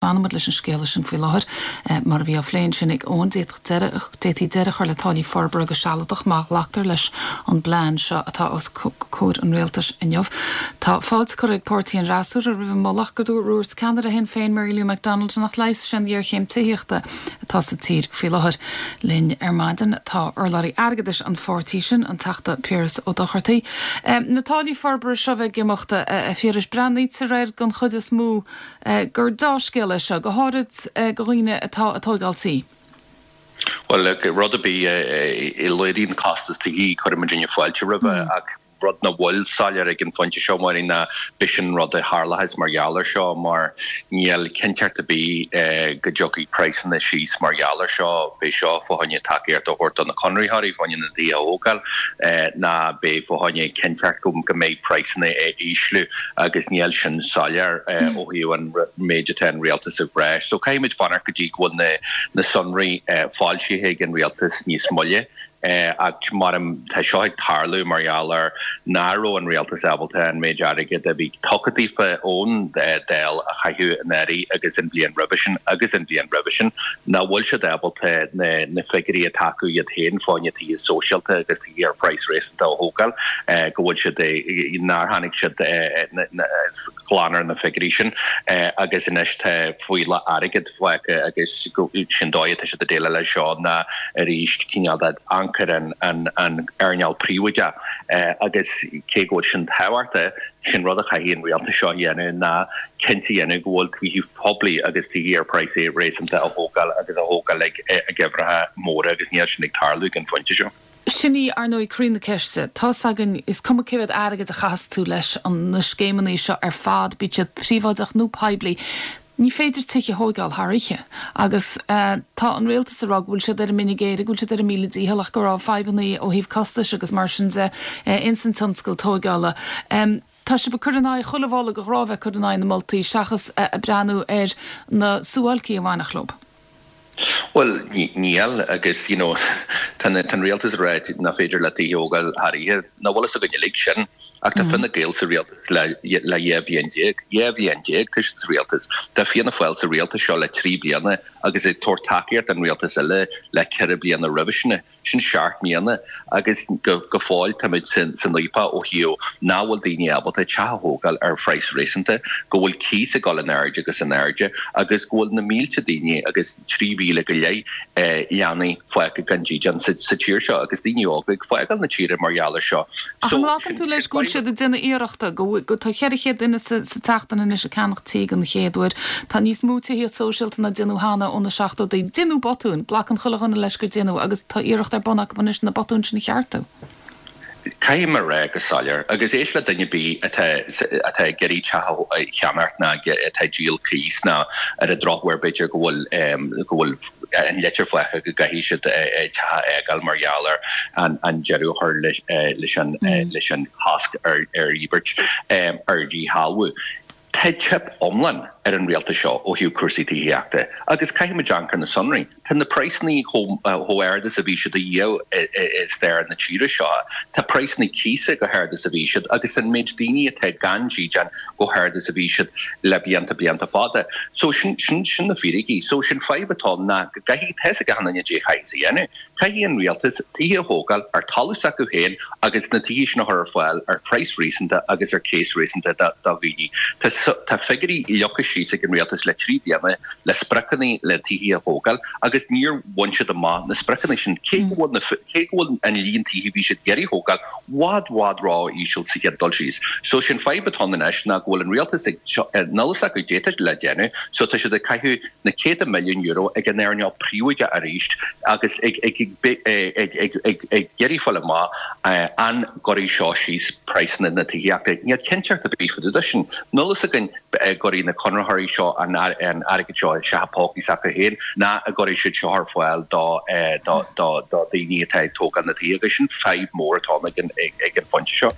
Fanfaimid leis an scéala sin faoi láthair. Mar a bhí á phlé ansin ag Eoin, d'fhéadfaí deireadh a chur le táillí forbartha go sealadach má ghlactar leis an bplean seo atá os comhair an rialtais inniu. Tá fáilte curtha ag páirtí an fhreasúra roimh an moladh ach go dúirt ceannaire Shinn Féin Mary Lou McDonald nach leigheasfaidh sé an ghéarchéim tithíochta atá sa tír faoi láthair. Linn ar maidin tá urlabhraí airgeadais an pháirtí sin, an Teachta Piaras Ó Dochartaigh. Na táillí forbartha seo a bheith ag imeacht, a Phiarais, breathnaítear air den chuid is mó gur deá-scéal é seo, go háirid do dhaoine atá ag tóigeáil tí. Bhuel, look, rud ar bith a laghdaíonn costas tithí, cuireann muidinne fáilte roimhe, ach rud nach bhfuil soiléir ag an phointe seo, Máirín, ná b'shin an rud a tharlóchas mar gheall air seo, mar níl cinnteacht ar bith go dtiocfaidh praghsanna síos mar gheall air seo. Beidh seo fá choinne tacaíocht a thabhairt do na conraitheoirí fá choinne na dtithe a thógáil, ná beidh fá choinne cinnteacht go mbeidh praghsanna ag ísliú. agus níl sin soiléir ó thaobh an méid atá an rialtas ag rá. So caithfimid fanacht go dtí go bhfuil na sonraí foilsithe ag an rialtas níos moille. Ach mar tá seo ag tarlú mar gheall ar nach raibh an rialtas ábalta an méid airgid a bhí tugtha daofa ón Dáil a chaitheamh anuraidh agus an bhliain roimhe sin agus an bhliain roimhe sin, nach bhfuil siad ábalta na figiúirí atá acu iad féin fá choinne tithe sóisialta agus ar phraghas réasúnta a thógáil, go bhfuil siad, nár tháinig siad glan ar na figiúirí sin agus anois tá fuíoll airgid fágtha agus sin dóigh atá siad ag déileáil leis seo ná arís cineál de amharc ar an earnáil príobháideach agus cé go bhfuil sin tábhachtach, sin rud a chaithfidh an rialtas seo a dhéanamh ná cinnte a dhéanamh go bhfuil tithe poiblí agus tithe ar praghas réasúnta á thógáil agus á thógáil ag uimhreacha móra agus níl sin ag tarlú ag an phointe seo. Sin í, ar ndóigh, croí na ceiste. Tá's againn, is cuma cé mhéad airgid a chaitheas tú leis na scéimeanna seo ar fad, bíodh siad príobháideach nó poiblí, ní féidir tithe a thóigeáil thar oíche. Agus tá an rialtas ag rá go bhfuil siad ar a mine géire, go bhfuil siad ar a míle dícheall ach go raibh fadhbanna ó thaobh costais agus mar sin de ins an tionscal tóigeála. Tá sibh ag cur in aghaidh chuile mholadh de ghrá bheith ag cur in aghaidh na moltaí seachas ag breathnú ar na suáilcí a bhainfeadh leo. Bhuel, níl, agus you know tá an rialtas ag rá nach féidir leat tithe a thógáil thar oíche. Nach bhfuil fhios againn uilig sin. Ach tá Fine Gael sa rialtas le 12 bhliain. 12 bhliain tá siad sa rialtas. Tá Fianna Fáil sa rialtas seo le 3 bliana agus ag tabhairt tacaíocht don rialtas eile le 4 bliana roimhe sin. Sin seacht mbliana agus go fóill táimid san fhaopach ó thaobh nach bhfuil daoine ábalta teach a thógáil ar phraghas réasúnta, go bhfuil cíos ag dul in airde agus in airde agus go bhfuil na mílte daoine agus 3,000 go leith leanaí fágtha gan dídean sa tír seo agus daoine óga ag fágáil na tíre mar gheall air seo. Ach an nglacann tú leis go bhfuil siad ag déanamh iarrachta, go bhfuil, tá 400 duine sa tseachtain anois ag ceannach tí den chéad uair, tá níos mó tithíocht sóisialta ná déanadh cheana ó na seachtóidí. Deineadh botúin, glacann chuile dhuine leis gur deineadh, agus tá iarracht ar bun acu anois na botúin sin a cheartú. Caithfidh mé a rá go soiléir, agus éist le duine ar bith atá atá ag iarraidh teach a cheannacht ná atá ag díol cíos ná ar an drochuair b'fhéidir go bhfuil go bhfuil an litir faighte go gcaithfidh siad teach a fhágáil mar gheall ar an deireadh a chur leis an leis an chosc ar dhíbirt ar dhíshealbhú. Tá teip iomlán ar an rialtas seo ó thaobh cúrsaí tithíochta agus caithfimid amharc ar na sonraí. Tá na praghsanna chomh hard is a bhí siad ariamh i stair na tíre seo. Tá praghsanna cíosa chomh hard is a bhí siad agus tá an méid daoine atá gan dídean chomh hard is a bhí siad le blianta blianta fada. So sin sin na fíricí. So sin fadhb atá ann ná go gcaithfidh, tá fhios ag achan duine caidé a chaithfeas a dhéanamh. Caithfidh an rialtas tithe a thógáil ar talamh s'acu féin agus na tithe sin a chur ar fáil ar phraghas réasúnta agus ar cíos réasúnta do dhaoine. Tá figiúirí leagtha síos ag an rialtas le 3 bliana le spriocanna le tithe a thógáil agus níor bhain siad amach na spriocanna sin. Cé go bhfuil na cé go bhfuil an líon tithe a bhí siad ag iarraidh a thógáil bhfad bhfad ró-íseal sa chéad dul síos. So sin fadhb atá ann anois ná go bhfuil an rialtas ag níl fhios acu caidé atá le déanamh so tá siad ag caitheamh na céadta milliún euro ag an earnáil príobháideach arís agus ag iarraidh fáil amach an gcuirfidh seo síos praghsanna na tithíochta. Níl cinnteacht ar bith fá dtaobh de sin. Níl fhios againn an gcuirfidh na conraitheoirí seo an airgead seo isteach i bpócaí s'acu féin ná an gcuirfidh siad seo ar fáil do dhaoine atá ag tógáil na tithe agus sin fadhb mór atá ann ag an phointe seo.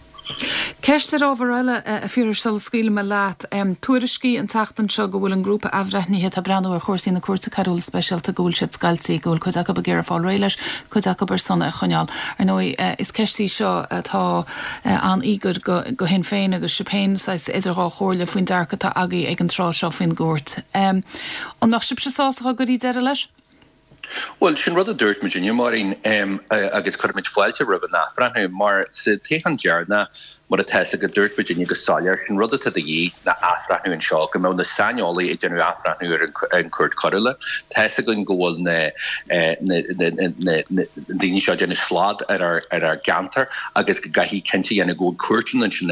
Ceist ar ábhar eile, a Phiarais, sula scaoilfidh mé leat. Tuairiscí an tseachtain seo go bhfuil an grúpa athbhreithnithe atá ag breathnú ar chúrsaí na Cúirte Coiriúla Speisialta, go bhfuil siad scoilte, go bhfuil cuid acu ag iarraidh fáil réidh leis, cuid acu ar son é a choinneáil. Ar ndóigh, is ceist í seo atá an-íogair go Shinn Féin agus sibh féin saghas idir dhá chomhairle faoin dearcadh atá agaibh ag an tráth seo faoin gcúirt. An mbeadh sibhse sásta dá gcuirfí deireadh leis? Bhuel, sin rud a dúirt muidinne, Máirín, agus cuirfimid fáilte roimh an athbhreithniú, mar sa toghchán deireanach, mar atá 'fhios agat, dúirt muidinne go soiléir, sin rud atá de dhíth ná athbhreithniú anseo, go mbeadh na saineolaithe ag déanamh athbhreithniú ar an Chúirt Choiriúla. Tá 'fhios againn go bhfuil na daoine seo ag déanamh slad ar ár gceantar agus go gcaithfidh cinnte a dhéanamh go bhfuil cúirteanna ansin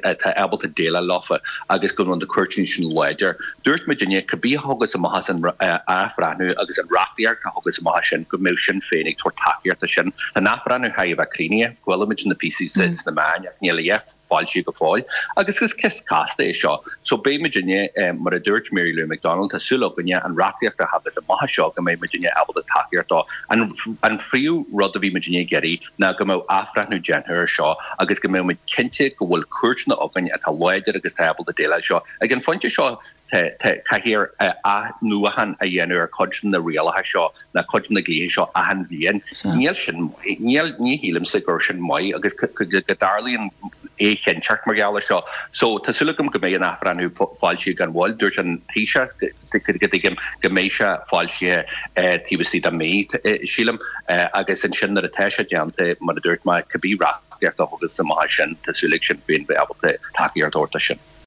atá ábalta déileáil leofa agus go bhfuil na cúirteanna sin láidir. Dúirt muidinne, cibé a thiocfas amach as an athbhreithniú agus an reachtaíocht a thiocfas amach as sin, go mbeadh Sinn Féin ag tabhairt tacaíocht do sin. Tá an athbhreithniú chaitheamh a bheith críochnaithe, chuala muid na píosaí sna meáin ach níl a dhath foilsithe go fóill. Agus is ceist casta é seo. So beidh muidinne, mar a dúirt Mary Lou McDonald, tá súil againne an reachtaíocht a thagas amach as seo go mbeidh muidinne ábalta tacaíocht dó. An phríomh rud a bhí muidinne ag iarraidh ná go mbeadh athbhreithniú déanta air seo agus go mbeadh muid cinnte go bhfuil cúirteanna againn atá láidir agus atá ábalta déileáil seo. Ag an phointe seo, caithfear athnuachan a dhéanamh ar chuid de na rialacha seo, ná cuid de na dlíthe seo achan bhliain. Níl sin maith. Níl, ní shílimse gur sin maith agus go dtarlaíonn éichinnteacht mar gheall air seo. So, tá súil agam go mbeidh an athbhreithniú foilsithe gan mhoill. Dúirt an Taoiseach, go dtuigim, go mbeidh sé foilsithe taobh istigh de mhí, sílim, agus ansin nuair atá sé déanta, mar a dúirt mé, cibé reachtaíocht a thiocfas amach as sin, tá súil ag Sinn Féin bheith ábalta tacaíocht a thabhairt dó sin.